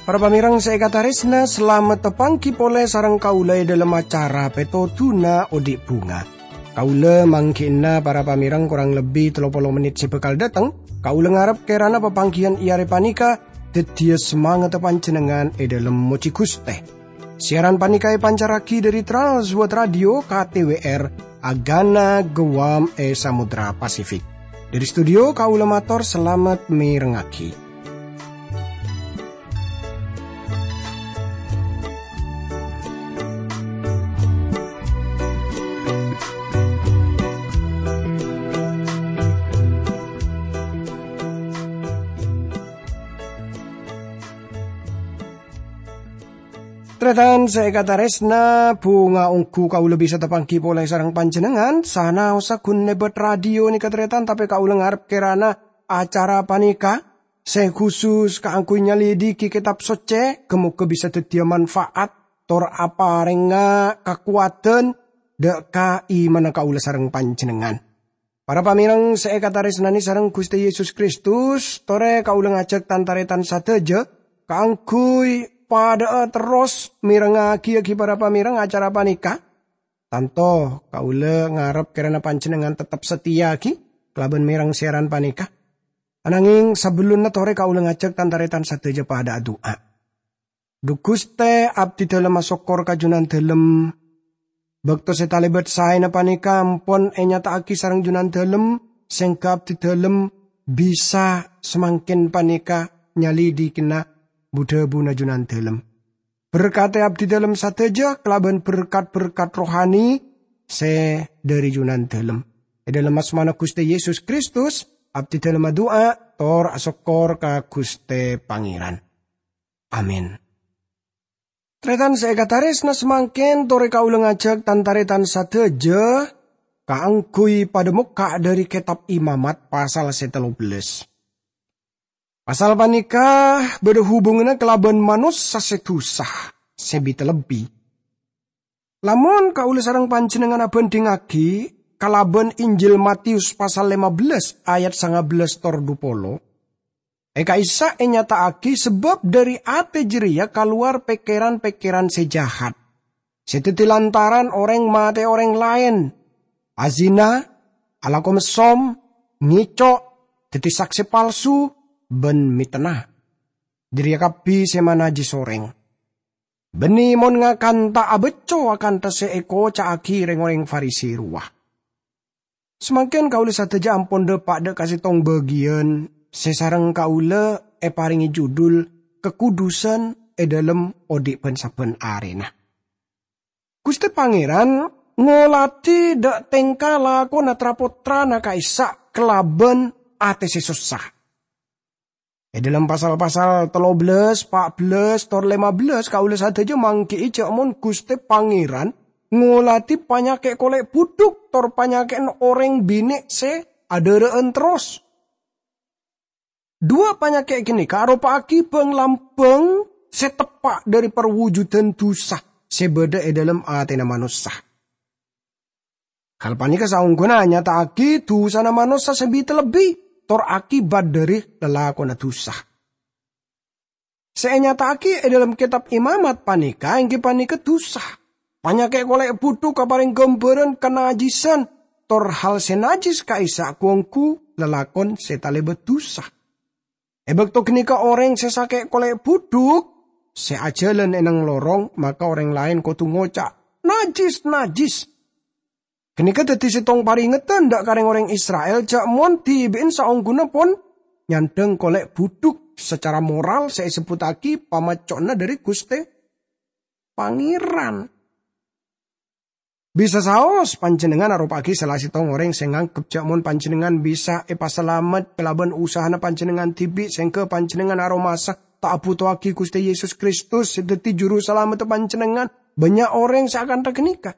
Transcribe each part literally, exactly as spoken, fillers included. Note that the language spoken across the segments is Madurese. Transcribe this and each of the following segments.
Para pamèrèng sè èkatarèsna, salamet tapangghi polè sareng kaulâ è dhâlem acara Pètodhuna Odi' Bhunga. Kaulâ mangghi'na para pamèrèng korang lebbi tello polo mennit sè bhâkal dâteng. Kaulâ ngarep kèrana papangghiyân è arè panèka dhâddhiyâ samangatta panjhennengngan è dhâlem mojhi Ghustè. Siaran panèka èpancarraghi dhâri Trans World Radio K T W R, Agana Guam è Samudra Pasifik. Dhâri studio kaulâ mator salamet mèrengngaghi. Tarètan sè èkatarèsna, bhunga ongghu kaulâ bisa tapangghi polè sareng panjhennengngan, sanaossa ghun lèbât radio nèka tarètan, tapè kaulâ ngarep kèrana acara panèka sè khusus kaangghuy nyalidiki Kètab Soccè, ghâ-mogâ bisa dhâddhiyâ manfaat tor aparèngnga kakowadhân dhâ' ka imanna kaulâ sareng panjhennengngan. Para pamèrèng sè èkatarèsnanè sareng Ghustè Yesus Kristus, torè kaulâ ngajhâk tan-tarètan sadhâjâ kaangghuy padhâ'â terros mèrengngaghi para pamèrèng acara panèka. Tanto kaulâ ngarep kèrana panjhennengngan teptep sateya ghi kalabân mèrèng siaran panèka. Ananging sabellunna torè kaulâ ngajhâk tan-tarètan sadhâjâ padhâ adu'a. Dhu Ghustè, abdhidhâlem asokkor ka Jhunandhâlem. Bâkto sè talèbât saèna panèka ampon ènyata'aghi sareng Jhunandhâlem, sèngghâ abdhidhâlem bisa samangkèn panèka nyalidikina bu-dhâbuna Jhunandhâlem. Berkatè abdhidhâlem sadhâjâ kalabân berkat-berkat rohani sè dhâri Jhunandhâlem. È dhâlem asmana Ghustè Yesus Kristus, abdhidhâlem adu'a tor asokkor ka Ghustè Pangèran. Amin. Tarètan sè èkatarèsna, samangkèn torè kaulâ ngajhâk tan-tarètan sadhâjâ kaangghuy padhâ mokka' dhâri Kètab Imamat pasal sè tello bellâs. Pasal panèka bâdâ hubunganna kalabân manossa sè dhusa, sè bi-talebbi. Lamon kaulâ sareng panjhennengngan abhândhingngaghi kalabân Injil Matius pasal lèma bellâs ayat sanga bellâs tor dhu polo, è ka'issa' ènyata'aghi sabâb dhâri atè jârèya kalowar pèkkèran-pèkkèran sè jahat, sè dhâddhi lantaran orèng matè'è orèng laèn, azina, alako messom, ngèco', dhâddhi saksè palsu, bân mètena. Jârèya kabbhi sè manajjis orèng. Bânnè mon ngakan ta' abâcco akantha sè èkoca'aghi rèng-orèng Farisi rowa. Samangkèn kaulâ sadhâjâ ampon dâpa' dhâ' ka sèttong bâgiyân sè sareng kaulâ èparèngè judul Kakudusân è Dhâlem Odi' Bân-sabbhân Arèna. Ghustè Pangèran ngolatè dhâ' tèngka lakona tra-pottrana ka'issa' kalabân atè sè sossa. È dhâlem pasal-pasal tello bellâs, pa' bellâs, tor lèma bellâs, kaulâ sadhâjâ mangghi'i jâ' mon Ghustè Pangèran ngolatè panyakè' kolè' budhuk tor panyakè'na orèng binè' sè adhârâ'ân terros. Duwâ' panyakè' ghânèka aropa'aghi bhâng-lambhâng sè teppa' dhâri parwujuddhân dhusa sè bâdâ è dhâlem atèna manossa. Hal panèka saongghuna nyata'aghi dhusana manossa sè bi-talebbi, tor akibat dhâri lalakonna dhusa. Sè ènyata'aghi è dhâlem Kètab Imamat panèka èngghi panèka dhusa. Panyakè' kolè' budhuk aparèng ghâmbhârân kanajisan, tor hal sè najjis ka'issa' ghu-ongghu lalakon sè talèbât dhusa. È bâkto ghânèka orèng sè sakè' kolè' budhuk, sè ajhâlân è neng lorong, maka orèng laèn kodhu ngoca', "Najjis, najjis!" Ghânèka dhâddhi sèttong parèngeddhân dhâ' ka rèng-orèng Isra'il jâ' mon dhibi'en saongghuna pon nyandhâng kolè' budhuk sacara moral sè èsebbhuttaghi pamacco'na dhâri Ghustè Pangèran. Bisa saos panjhennengngan aropa'aghi sala sèttong orèng sè nganggep jâ' mon panjhennengngan bisa èpasalamet kalabân usahana panjhennengngan dhibi', sèngghâ panjhennengngan aromasa ta' abhutowaghi Ghustè Yesus Kristus sè dhâddhi Juru Salamedda panjhennengngan. Bânnya' orèng sè akantha ghânèka.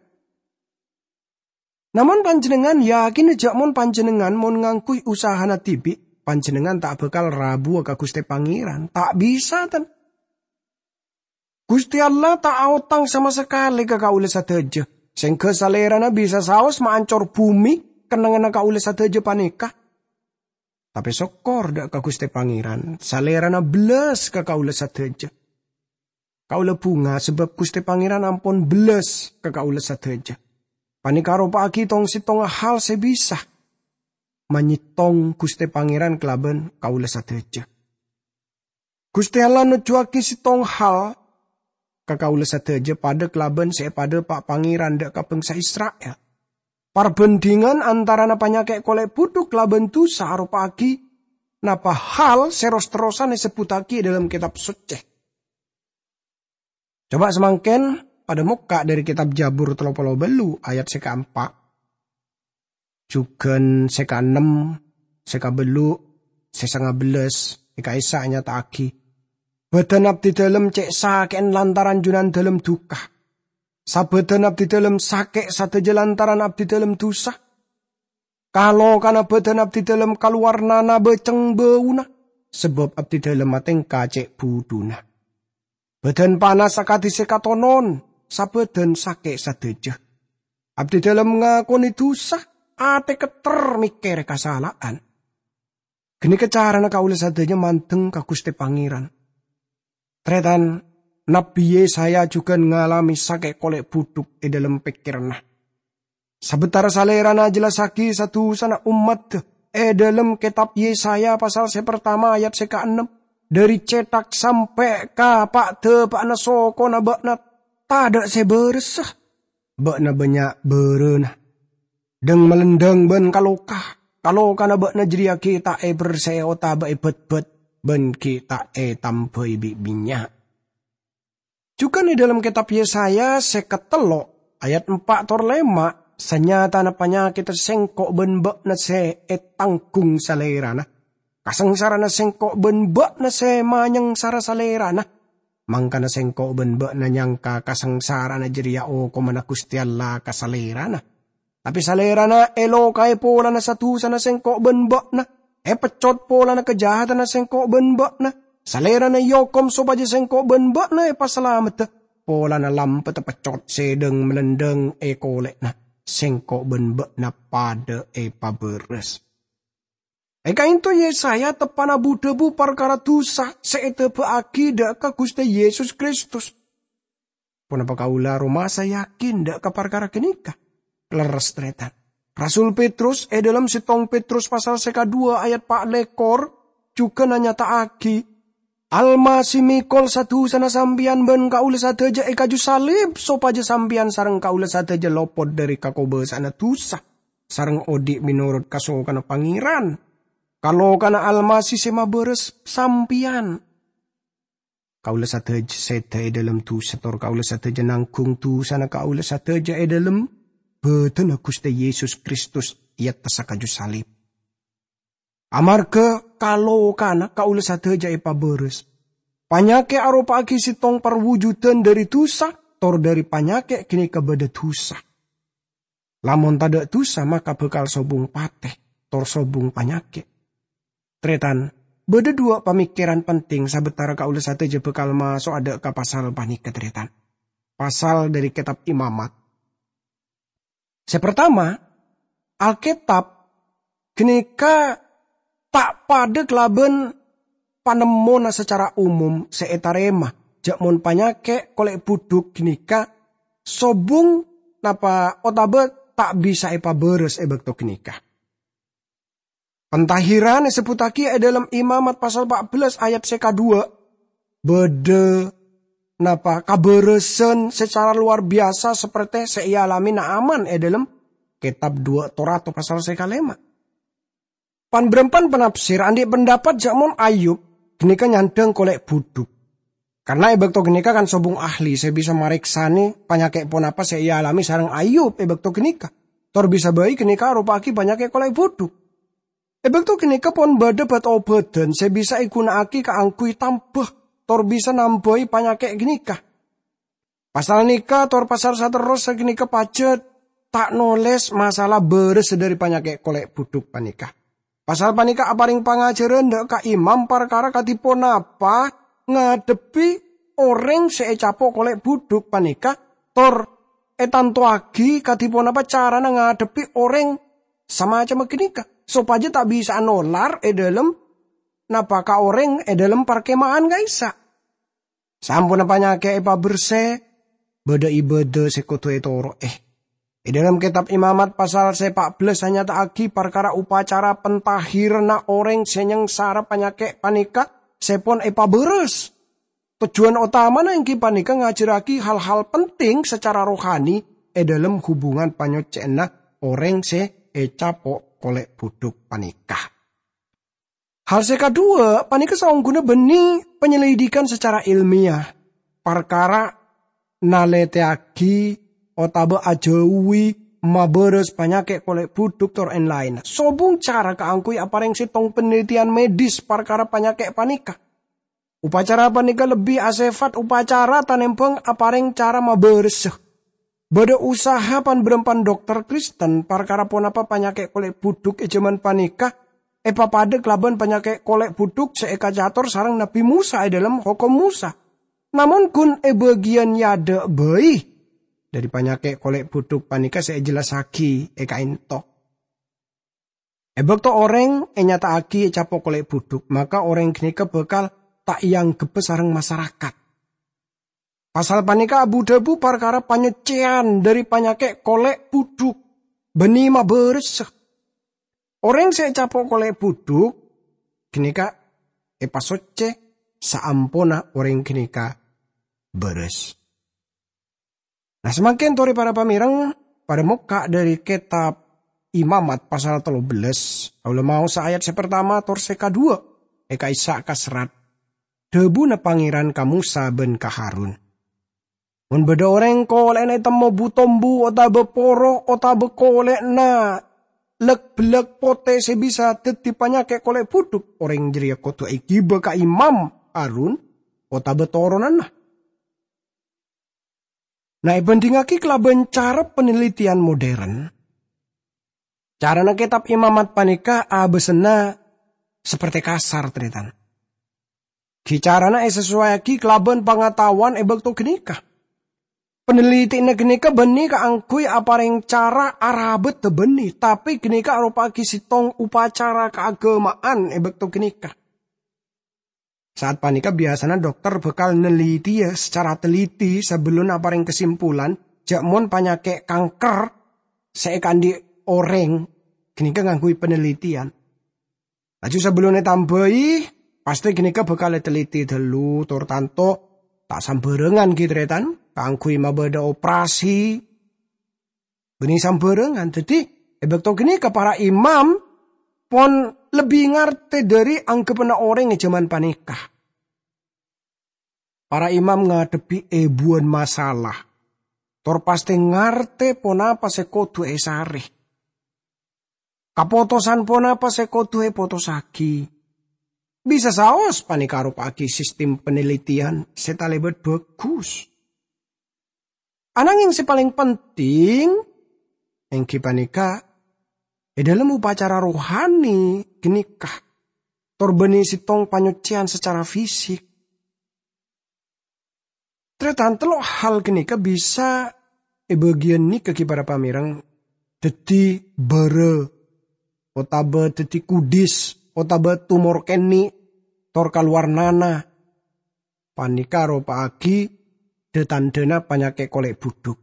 Namong panjhennengngan yakina jâ' mon panjhennengngan mon ngangghuy usahana dhibi', panjhennengngan ta' bhâkal rabuwâ ka Ghustè Pangèran. Ta' bisa, tan. Guste Allah ta' aotang sama sakale ka kaula sadaja, sengga Salerana bisa saos maancor bume kennengnganna kaula sadaja paneka. Tape sokkor dha' ka Guste Pangeran, Salerana bellas ka kaula sadaja. Kaula bunga sabab Guste Pangeran ampon bellas ka kaula sadaja. Paneka aropa'agi tong-settonga hal se bisa manyettong Guste Pangeran kalaban kaula sadaja. Guste Allah nojjuwagi settong hal ka kaula sadaja padha kalaban se epadhapa Pangeran dha' ka bangsa Isra'il. Parbandhingan antarana panyake' kole' budhuk kalaban dusa aropa'agi napa hal se ros-terrosan esebbuttagi e dhalem Ketab Socce. Coba samangken padha mokka' dhari Ketab Jabur tello polo ballu ayat se kaempa'. Jugan se kaennem, se kaballu, se sangabellas, e ka'issa' anyata'agi, "Badan abdidalem ce' sake'en lantaran Junandalem duka. Sabadan abdidalem sake' sadaja lantaran abdidalem dusa. Kalokana badan abdidalem kalowar nanaba cengbauna, sabab abdidalem atengka ce' budhuna. Badan panas akadi se katonon, sabadan sake' sadaja. Abdidalem ngakone dusa, ate ketter mekkere kasala'an." Ganeka carana kaula sadaja mandeng ka Guste Pangeran. Taretan, Nabbi Yesaya jugan ngalame sake' kole' budhuk e dhalem pekkeranna. Sabatara Salerana ajelassagi sa-dusana ommadda e dhalem Ketab Yesaya pasal se partama ayat se kaennem, "Dhari cethak sampe' ka pa'-dapa'anna sokona ba'na tadha' se baressa. Ba'na bannya' barana. Dheng-malendheng ban kaloka. Kalokana ba'na jareya gi' ta' eberse'e otaba ebetbet, ban gi' ta' etambai bi' bannya'." Jugan e dhalem Ketab Yesaya seket tello' ayat empa' tor lema', sanyatana panyaketta sengko' ban ba'na se etanggung Salerana. Kasangsarana sengko' ban ba'na se manyangsara Salerana. Mangkana sengko' ban ba'na nyangka kasangsarana jareya okomanna Guste Allah ka Salerana. Tape Salerana elokae polana sa-dusana sengko' ban ba'na, epeccot polana kajahadanna sengko' ban ba'na. Salerana eokom sopaja sengko' ban ba'na epasalameddha polana lampeddhâ peccot se dheng-malendheng e kole'na. Sengko' ban ba'na padha epabaras. E ka'ento Yesaya teppa'na bu-dhabu parkara dusa se edaba'agi dha' ka Guste Yesus Kristus. Ponapa kaula aromasa yakin dha' ka parkara ganeka? Lerres, taretan. Rasul Petrus e dhalem settong Petrus pasal se kadhuwa ayat pa' lekor jugan anyata'agi, "Almasih mekol sa-dusana sampeyan ban kaula sadaja e kaju salib, sopaja sampeyan sareng kaula sadaja lopot dhari kakobasa'anna dusa, sareng odhi' menorot kasokanna Pangeran. Kalokana Almasih se mabaras sampeyan." Kaula sadaja seda e dhalem dusa, tor kaula sadaja nanggung dusana kaula sadaja e dhalem badanna Guste Yesus Kristus, eattessa kaju salib. Amarga kalokana kaula sadaja epabaras. Panyake' aropa'agi settong parwujudan dhari dusa, tor dhari panyake' ganeka badha dusa. Lamon tadha' dusa, maka bakal sobung pate, tor sobung panyake'. Taretan, badha dhuwa' pamikeran penting sabatara kaula sadaja bakal maso'a dha' ka pasal paneka, taretan. Pasal dhari Ketab Imamat. Se partama, Alketab ganeka ta' padha kalaban panemmona sacara umum se etarema, ja' mon panyake' kole' budhuk ganeka sobung napa otaba ta' bisa epabaras e bakto ganeka. Pentahiran esebbhuttagi e dhalem Imamat pasal pa' bellas ayat se kadhuwa, badha napa kabarasan secara luar biasa saperte se ealame Naaman e dhalem Ketab Dhuwa' Torato pasal se kalema. Pan-barampan panafsir andhi' pendapat ja' mon Ayub ganeka nyandhang kole' budhuk. Karna e bakto ganeka kan sobung ahli se bisa mareksane panyake' ponapa se ealame sareng Ayub e bakto ganeka. Tor bisa bai ganeka aropa'agi panyake' kole' budhuk. E bakto ganeka pon badha bat-obatan se bisa eguna'agi kaangguy tamba, tor bisa nambai panyake' ganeka. Pasal neka tor pasal saterrossa ganeka pajat ta' noles masalah barassa dhari panyake' kole' budhuk paneka. Pasal paneka apareng pangajaran dha' ka imam parkara kadi ponapa ngadhebbi orèng sè ècapo' kolè' budhuk panèka tor ètantowaghi kadhi ponapa carana ngadhebbhi orèng samacemma ghânèka, sopajâ ta' bisa'a nolar è dhâlem napa ka orèng è dhâlem parkema'an ka'issa'. Samponna panyakè' èpabersè, bâdâ ibâdâ sè kodhu ètoro'è. È dhâlem Kètab Imamat pasal sè pa' bellâs anyata'aghi parkara upacara pentahiranna orèng sè nyangsara panyakè' panèka sè pon èpabârâs. Tojjhuwân otamana èngghi panèka ngajhârraghi hal-hal penting sacara rohani è dhâlem hubungan panyocè'anna orèng sè ècapo' kolè' budhuk panèka. Hal sè kadhuwâ' panèka saongghuna bânnè panyelidikan sacara èlmiyah, parkara nalètèyaghi otabâ ajhâuwi mabârâs panyakè' kolè' budhuk tor èn-laènna. Sobung cara kaangghuy aparèng sèttong panalètèyan medis parkara panyakè' panèka. Upacara panèka lebbi asèfat upacara tanèmbhâng aparèng cara mabârâssa. Bâdâ usaha pan-bârâmpan dokter Kristen parkara ponapa panyakè' kolè' budhuk è jhâman panèka èpapadâ kalabân panyakè' kolè' budhuk sè èkacator sareng Nabbhi Mosa è dhâlem Hokom Mosa. Namong ghun è bâgiyân è adâ' bhâi dhâri panyakè' kolè' budhuk panèka sè èjellassaghi è ka'ènto. È bâkto orèng ènyata'aghi ècapo' kolè' budhuk, maka orèng ghânèka bhâkal ta' èanggheppa sareng masarakat. Pasal panèka abu-dhâbu parkara panyocèyan dhâri panyakè' kolè' budhuk bânnè mabârâssa. Orèng sè ècapo' kolè' budhuk ghânèka èpasoccè saamponna orèng ghânèka bârâs. Nah, samangkèn torè para pamèreng, padâ mokka' dhâri Kètab Imamat pasal tello bellâs, kaulâ maosa ayat sè partama tor sè kadhuwâ' è ka'issa' kaserrat. Dhâbuna Pangèran ka Mosa bân ka Harun, "Mon bâdâ orèng kolè'na ètemmo bu-tombu otabâ poro otabâ kolè'na lek-bellek potè sè bisa dhâddhi panyakè' kolè' budhuk, orèng jârèya kodhu èghibâ ka Imam Harun otabâ toronanna." Nah, èbhândhingngaghi kalabân cara panelitian modern, carana Kètab Imamat panèka abâsana saperte kasar, tarètan. Ghi carana èsasowayaghi kalabân pangataowan è bâkto ghânèka. Panelitèyanna ghânèka bânnè kaangghuy aparèng cara arabâdhâ bânnè, tapè ghânèka aropa'aghi sèttong upacara kaaghâma'an è bâkto ghânèka. Saat panèka biyasana dokter bhâkal nelitèya sacara teliti sabellunna aparèng kasimpulan jhâ' mon panyakè' kanker sè èkaandhi' orèng ghânèka ngangghuy panelitèyan. Laju sabellunna ètambâi, pastè ghânèka bhâkal èteliti ghâllu, tor tanto ta' sambhârângan ghi, tarètan, kaangghuy mabâdâ operasi. Bânnè sambhârângan. Dhâddhi, è bâkto ghânèka para imam pon lebbi ngartè dhâri angghebbhâna orèng è jhâman panèka. Para imam ngadhebbhi èbuwân masalah, tor pastè ngartè ponapa sè kodhu èsarè. Kapotosan ponapa sè kodhu èpotossaghi. Bisa saos panèka aropa'aghi sistem panelitèyan sè talèbât bhâghus. Ananghèng sè palèng penting èngghi panèka è dhâlem upacara rohani ghânèka, tor bânnè sèttong panyocèyan sacara fisik. Tarètan, tello' hal ghânèka bisa èbâgiyânnè ka ghi para pamèreng, dhâddhi bârâ, otabâ dhâddhi kudis, otabâ tumor kènè', tor kalowar nana. Panèka aropa'aghi dhâ-tandhâna panyakè' kolè' budhuk.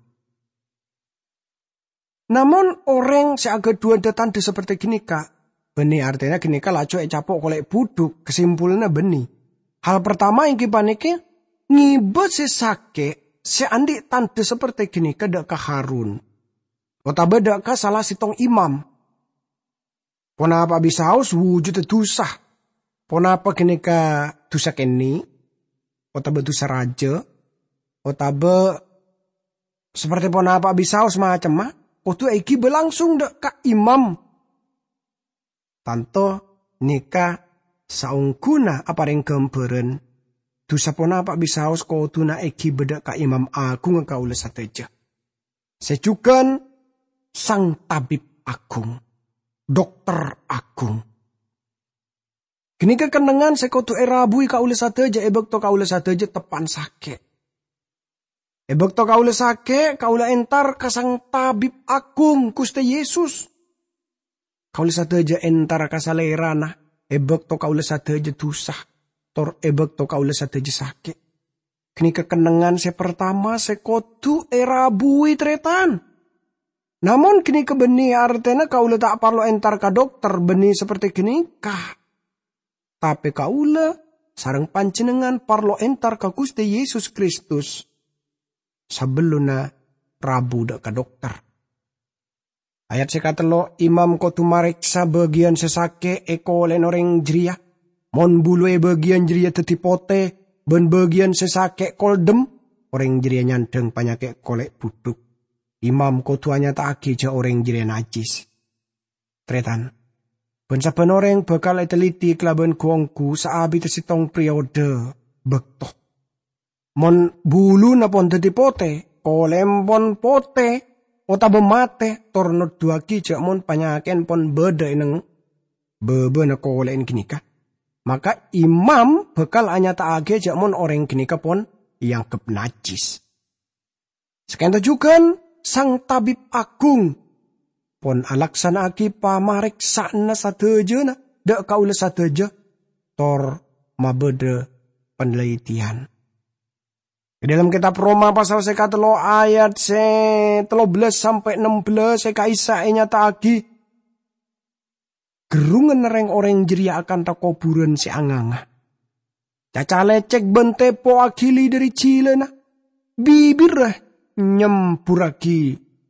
Namong orèng sè aghâdhuwân dhâ-tandhâ saperte ghânèka, bânnè artèna ghânèka laju ècapo' kolè' budhuk, kasimpulanna bânnè. Hal partama èngghi panèka ngibâ sè sakè' sè andi' tandhâ saperte ghânèka dhâ' ka Harun, otabâ dhâ' ka sala sèttong imam. Ponapa bisaos wujudda dhusa? Ponapa ghânèka dhusa kènè'? Otabâ dhusa rajâ? Otabâ saperte ponapa bisaos macemma? Kodhu èghibâ langsung dhâ' ka imam. Tanto nèka saongghuna aparèng ghâmbhârân, dhusa ponapa bisaos kodhuna èghibâ dhâ' ka imam aghungnga kaulâ sadhâjâ. Sè jhughân sang tabib aghung, dokter aghung. Ghânèka kennengngan sè kodhu èrabuwi kaulâ sadhâjâ è bâkto kaulâ sadhâjâ teppa'na sakè'. È bâkto kaulâ sakè', kaulâ entar ka Sang Tabib Aghung, Ghustè Yesus. Kaulâ sadhâjâ entar ka Salèrana è bâkto kaulâ sadhâjâ dusa, tor è bâkto kaulâ sadhâjâ sakè'. Ghânèka kennengngan sè partama sè kodhu èrabuwi, tarètan. Namong ghânèka bânnè artèna kaulâ ta' parlo entar ka dokter bânnè saperte ghânèka. Tapè kaulâ sareng panjhennengngan parlo entar ka Ghustè Yesus Kristus sabellunna rabu dâ' ka dokter. Ayat sè katello', imam kodhu mareksa bâgiyân sè sakè' è kolè'na orèng jârèya. Mon bulu è bâgiyân jârèya dhâddhi potè, bân bâgiyân sè sakè' koldhem, orèng jârèya nyandhâng panyakè' kolè' budhuk. Imam kodhu anyata'aghi jâ' orèng jârèya najjhis. Tarètan, bân sabbhân orèng bhâkal ètelliti kalabân ghu-ongghu saabidhâ sèttong periode bâkto. Mon buluna pon dhâddhi potè, kolè'na pon potè, otabâ matè, tor noduwâghi jâ' mon panyakè'na pon bâdâ è neng bâbâna kolè'na ghânèka, maka imam bhâkal anyata'aghiyâ jâ' mon orèng ghânèka pon èangghep najjhis. Sakènto jhughân Sang Tabib Aghung pon alaksana'aghi pamareksa'anna sadhâjâna dâ' kaulâ sadhâjâ, tor mabâdâ panelitèyan. È dâlem Kètab Roma pasal sè katello ayat sè tello bellâs sampè' ennem bellâs sè ka'issa' ènyata'aghi, gherrunganna rèng-orèng jârèya akantha kobhurân sè anganga. Caca lècèk bân tèpo aghili dâri jhilâna, bibirra nyembhurraghi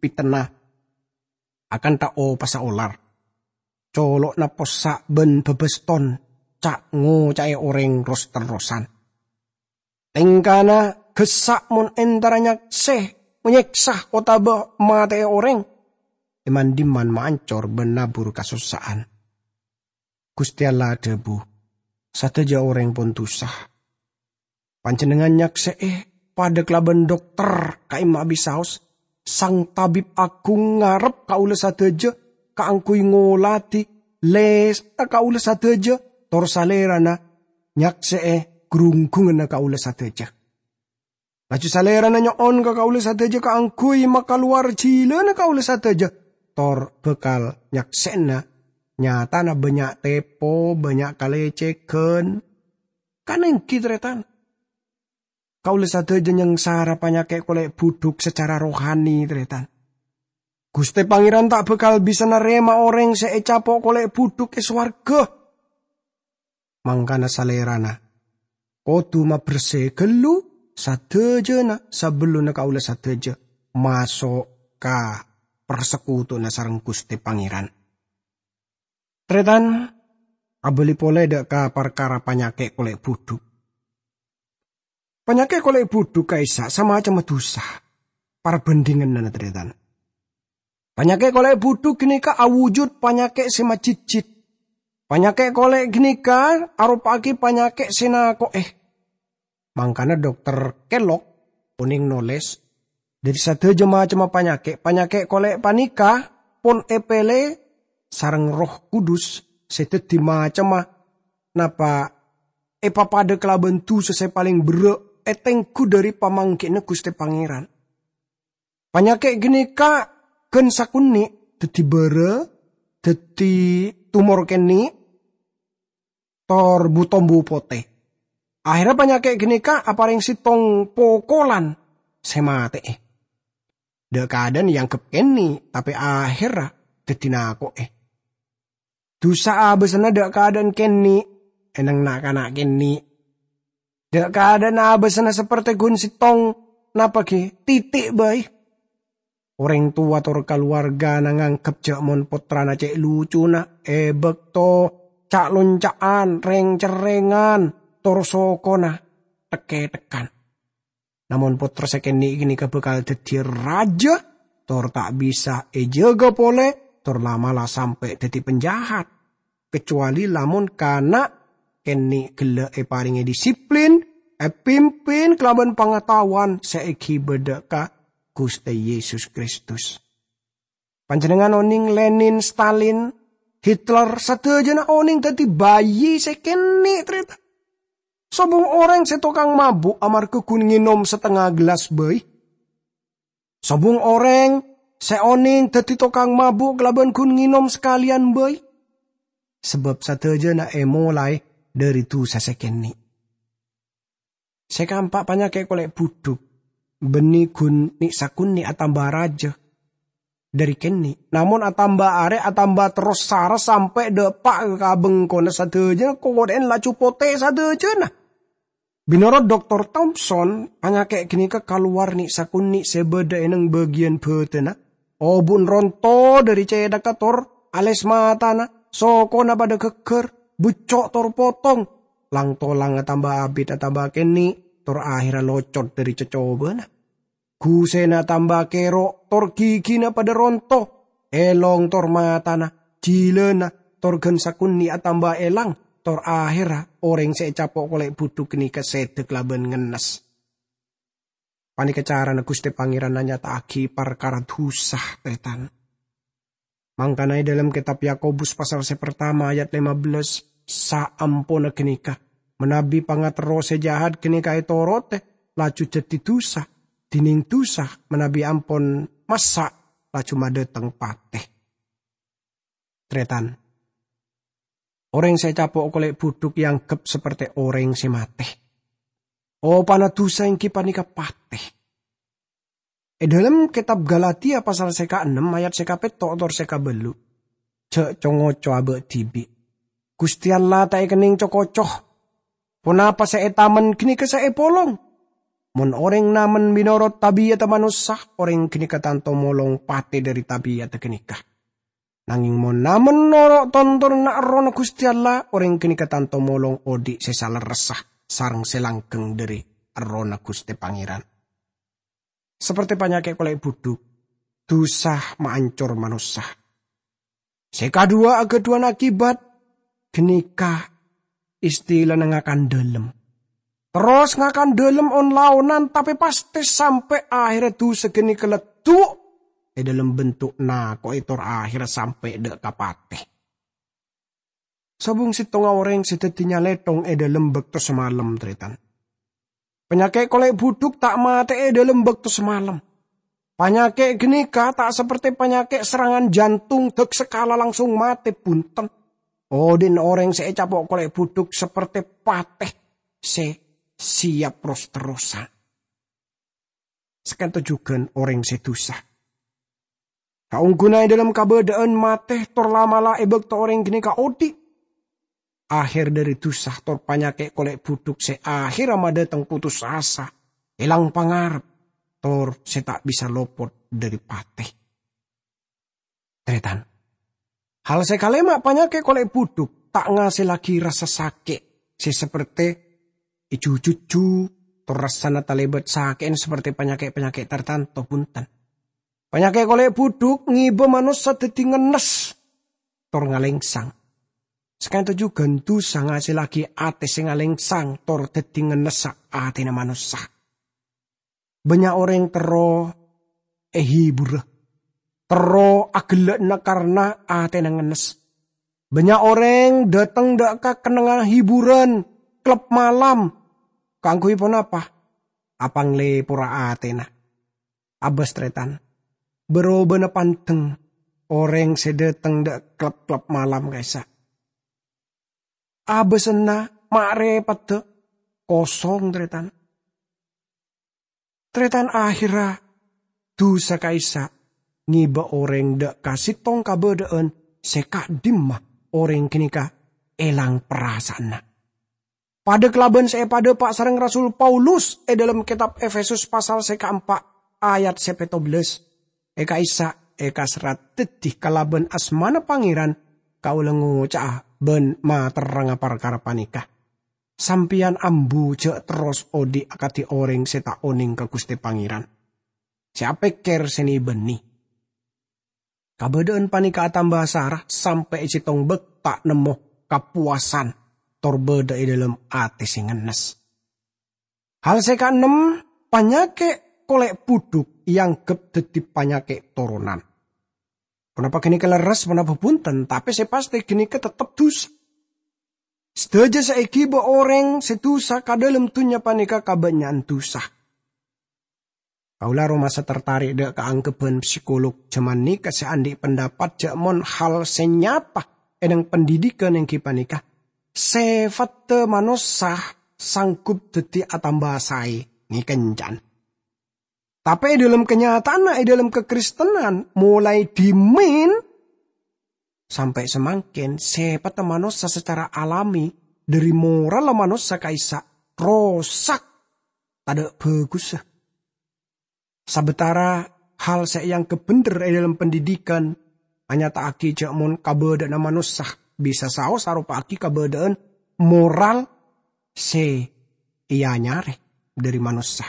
pètènna akantha opassa olar. Colo'na possa' bân bâbâston ca'-ngoca'è orèng ros-terrosan. Tèngkana gessa' mon entara nyaksè, nyèksa otabâ matè'è orèng. È man-dimman maancor bân nabur kasossa'an. Ghustè Allah adhâbu, "Sadhâjâ orèng pon dusa." Panjhennengngan nyaksè'è, padâ kalabân dokter ka'imma abisaos, Sang Tabib Aghung ngarep kaulâ sadhâjâ kaangghuy ngoladhi lèsta kaulâ sadhâjâ, tor Salèrana nyaksè'è grungghunganna kaulâ sadhâjâ. Laju Salèrana nyo'on ka kaulâ sadhâjâ kaangghuy makalowar jhilâna kaulâ sadhâjâ, tor bhâkal nyaksè'ana nyatana bânnya' tèpo, bânnya' kalècèghân. Kanèngghi, tarètan. Kaulâ sadhâjâ nyangsara panyakè' kolè' budhuk sacara rohani, tarètan. Ghustè Pangèran ta' bhâkal bisa narèma orèng sè ècapo' kolè' budhuk è sowarghâ. Mangkana Salèrana kodhu mabersè ghâllu sadhâjâna sabellunna kaulâ sadhâjâ maso' ka parsekutowanna sareng Ghustè Pangèran. Tarètan, abâli polè dâ' ka parkara panyakè' kolè' budhuk. Panyakè' kolè' budhuk ka'issa' samacemma dusa. Parbhândhinganna, tarètan. Panyakè' kolè' budhuk ghânèka awujud panyakè' sè majhidhjhit. Panyakè' kolè' ghânèka aropa'aghi panyakè' sè nako'è. Mangkana Dokter Kellogg onèng nolès, "Dâri sadhâjâ macemma panyakè', panyakè' kolè' panèka pon èpèlè sareng Erroh Kudus sè dhâddhi macemma napa èpapadâ kalabân dusa sè palèng berrâ' ètengghu dâri pamangghina Ghustè Pangèran." Panyakè' ghânèka ghân sakonè' dhâddhi bârâ, dhâddhi tumor kènè', tor bu-tombu potè. Ahèrra panyakè' ghânèka aparèng sèttong pokolan sè matè'è. Dâ'-kadâ'ân èangghep kènè', tapè ahèrra dhâddhi nako'è. Dusa abâsanna dâ'-kadâ'ân kènè', è neng na'-kana' kènè'. Dâ'-kadâ'ân abâsanna saperte ghun sèttong, napa ghi' tètè' bhâi. Orèng towa tor kalowargana nganggep jâ' mon pottrana cè' lucuna è bâkto ca'-lonca'an, rèng-cerrèngan, tor sokona thek-kèthekkan. Namong pottra sè kènè' ghânèka bhâkal dhâddhiyâ rajâ, tor ta' bisa èjâgâ polè, tor la'-mala' sampè' dhâddhi panjahat. Kacowalè lamon kana' kènè' ghellâ' èparèngè disiplin, èpimpin kalabân pangataowan sè èghibâ dâ' ka Ghustè Yesus Kristus. Panjhennengngan onèng Lenin, Stalin Hitler, sadhâjâna onèng dhâddhi bayi sè kènè', tarètan. Sobung orèng sè tokang mabu' amarghâ ghun ngènom satengnga gellas bhâi. Sobung orèng sè onèng dhâddhi tokang mabu' kalabân ghun ngènom sakalèyan bhâi. Sabâb sadhâjâna èmolaè dhâri dhusa sè kènè'. Sè kaempa' panyakè' kolè' budhuk, bânnè ghun nè'-sakonè' atamba rajâ dhâri kènè', namong atamba arè atamba terros sara sampè' dâpa' ka bengkona sadhâjâna, kokoḍhâ'en laju potè sadhâjâna. Mènorot Doktor Thompson, panyakè' ghânèka kalowar nè'-sakonè' sè bâḍâ è neng bâgiyân bhâdhânna, obu'en ronto dhâri cèṭagghâ tor alès matana, sokona paḍâ ghâgghâr, bucco' tor potong, lang-tolang atamba abit atamba kènè', tor ahèrra locot dhâri cocobâna. Ghusèna atamba kèro', tor ghigina paḍâ ronto, èlong tor matana, jhilâna, tor ghân sakonè' atamba èlang, tor ahèrra orèng sè ècapo' kolè' budhuk ghânèka sèdhâ kalabân ngennes. Panèka carana Ghustè Pangèran anyata'aghi parkara dhusa, tarètan. Mangkana è ḍâlem kètab Yakobus pasal sè partama ayat lèma bellâs, saamponna ghânèka, manabi pangaterro sè jahat ghânèka ètorotè, laju dhâddhi dhusa, dhinèng dhusa manabi ampon massa', laju maḍâteng patè. Tarètan, orèng sè ècapo' kolè' budhuk èangghep saperte orèng sè matè. Opana dhusa èngghi panèka patè. È ḍâlem kètab Galatia pasal sè kaennem ayat sè kapètto' tor sè kabâllu', "Jhâ' co-ngoco abâ' dhibi'. Ghustè Allah ta' èkennèng co-koco. Ponapa sè ètamen ghânèka sè èpolong. Mon orèng namen mènorot tabi'adda manossa, orèng ghânèka tanto molong patè dhâri tabi'adda ghânèka. Nangèng mon namen noro' tontonanna Errohna Ghustè Allah, orèng ghânèka tanto molong oḍi' sè salerressa sareng sè langghâng dhâri Errohna Ghustè Pangèran." Saperte panyakè' kolè' budhuk, dhusa maancor manossa. Sè kaḍuwâ aghâḍhuwân akibat, ghânèka istilana ngakan ḍâlem. Terros ngakan ḍâlem on-laonan, tapè pastè sampè' ahèrra dhusa ghânèka leddhu' è ḍâlem bentuk nako'è tor ahèrra sampè' ḍâ' ka patè. Sobung sèttonga orèng sè dhâddhi nyalèthong è ḍâlem bâkto samalem, tarètan. Panyakè' kolè' budhuk ta' matè'è è ḍâlem bâkto samalem. Panyakè' ghânèka ta' saperte panyakè' serangan jantung, ḍâk sakala langsung matè, bhunten. Oḍi'na orèng sè ècapo' kolè' budhuk saperte patè sè siap ros-terrosan. Saka'ḍinto jhughân orèng sè dhusa. Saongghuna è ḍâlem kabâḍâ'ân matè tor la'-mala' è bâkto orèng ghânèka oḍi'. Ahèr ḍâri dhusa tor panyakè' kolè' budhuk sè ahèrra maḍâteng potos asa, èlang pangarep, tor sè ta' bisa lopot ḍâri patè. Tarètan. Hal sè kalèma', panyakè' kolè' budhuk ta' ngasèllaghi rassa sakè' sè saperte èjhujhujhu, tor rassana talèbât sakè'en saperte panyakè'-panyakè' tartanto, bhunten. Panyakè' kolè' budhuk ngèbâ manossa dhâddhi ngennes tor ngalèngsang. Saka'ḍinto jhughân dhusa ngasèllaghi atè sè ngalèngsang tor dhâddhi ngennessa atèna manossa. Bânnya' orèng terro èhibura, terro aghellâ'na karna atèna ngennes. Bânnya' orèng ḍâteng ḍâ' ka kennengnganna hiburan klub malam. Kaangghuy ponapa? Apanglèpora atèna. Abâs, tarètan. Bârâbâna panḍeng orèng sè ḍâteng ḍâ' klub-klub malam ka'issa'. Abâsanna ma' rèpadhâ kosong, tarètan. Tarètan, ahèrra dhusa ka'issa' ngèbâ orèng ḍâ' ka sèttong kabâḍâ'ân sè ka'ḍimma orèng ghânèka èlang parasa'anna. Paḍâ kalabân sè èpaḍâpa' sareng Rasul Paulus è ḍâlem kètab Efesus pasal sè kaempa' ayat sè pètto bellâs, "È ka'issa' èkaserrat dhâddhi kalabân asmana Pangèran, kaulâ ngoca'a bân materrangnga parkara panèka. Sampèyan ambu jhâ' terros oḍi' akadhi orèng sè ta' onèng ka Ghustè Pangèran, sè apèkkèr sè nè-bânnè." Kabâḍâ'ân panèka atamba sara sampè' è sèttong bâk ta' nemmo kapowasan tor bâḍâ è ḍâlem atè sè ngennes. Hal sè kaennem, panyakè' kolè' budhuk èangghep dhâddhi panyakè' toronan. Ponapa ghânèka lerres, ponapa bhunten, tapè sè pastè ghânèka tettep dhusa. Sadhâjâ sè èghibâ orèng sè dhusa ka dhâlem dhunnya panèka kabânnya'an dhusa. Kaulâ aromasa tertarik dâ' kaangghâbhân psikolog jhâman nèka sè andi' pendapat jhâ' mon hal sè nyata è nèng pendidikan èngghi panèka sèfatta manossa sanggup dhâddhi atamba saè ngèkencan. Tapè è dhâlem kanyataanna, è dhâlem kakristenan, molaè dhimèn sampè' samangkèn, sèpatta manossa sacara alami, dhâri moralla manossa ka'issa' rosak, tadâ' bhâghussa. Sabâtara hal sè èangghep bhendher è dhâlem pendidikan anyata'aghi jhâ' mon kabâdâ'ânna manossa bisa saos aropa'aghi kabâdâ'ân moral sè èanyarè dhâri manossa.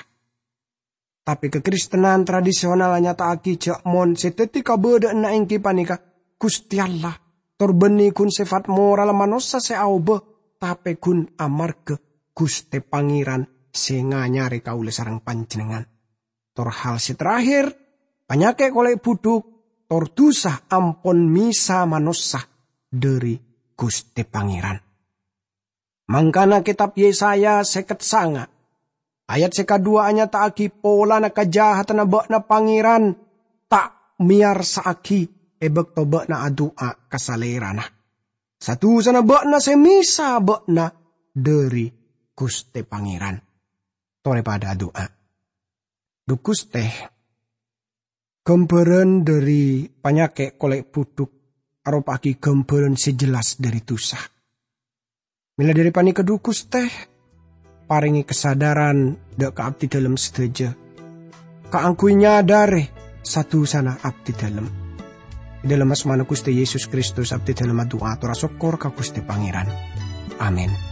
Tapè kakristenan tradisional anyata'aghi jhâ' mon sè dhâddhi kabâdâ'ânna èngghi panèka Ghustè Allah, tor bânnè ghun sèfat moral manossa sè aobâ, tapè ghun amarghâ Ghustè Pangèran sè nganyarè kaulâ sareng panjhennengngan. Tor hal sè terakhir, panyakè' kolè' budhuk, tor dhusa ampon mèsa manossa dhâri Ghustè Pangèran. Mangkana kètab Yesaya sèket sanga, ayat sè kadhuwâ anyata'aghi polana kajahatanna bâ'na Pangèran ta' mèyarsa'aghi è bâkto bâ'na adu'a ka Salèrana. Sa-dhusana bâ'na sè mèsa bâ'na dhâri Ghustè Pangèran. Torè padâ adu'a. Dhu Ghustè, ghâmbhârân dhâri panyakè' kolè' budhuk aropa'aghi ghâmbhârân sè jelas dhâri dhusa. Mèla dhâri panèka, dhu Ghustè, parèngè kasadhârân dâ' ka abdhidhâlem sadhâjâ kaangghuy nyadhârè sa-dhusana abdhidhâlem. È dhâlem asmana Ghustè Yesus Kristus abdhidhâlem adu'a tor asokkor ka Ghustè Pangèran. Amin.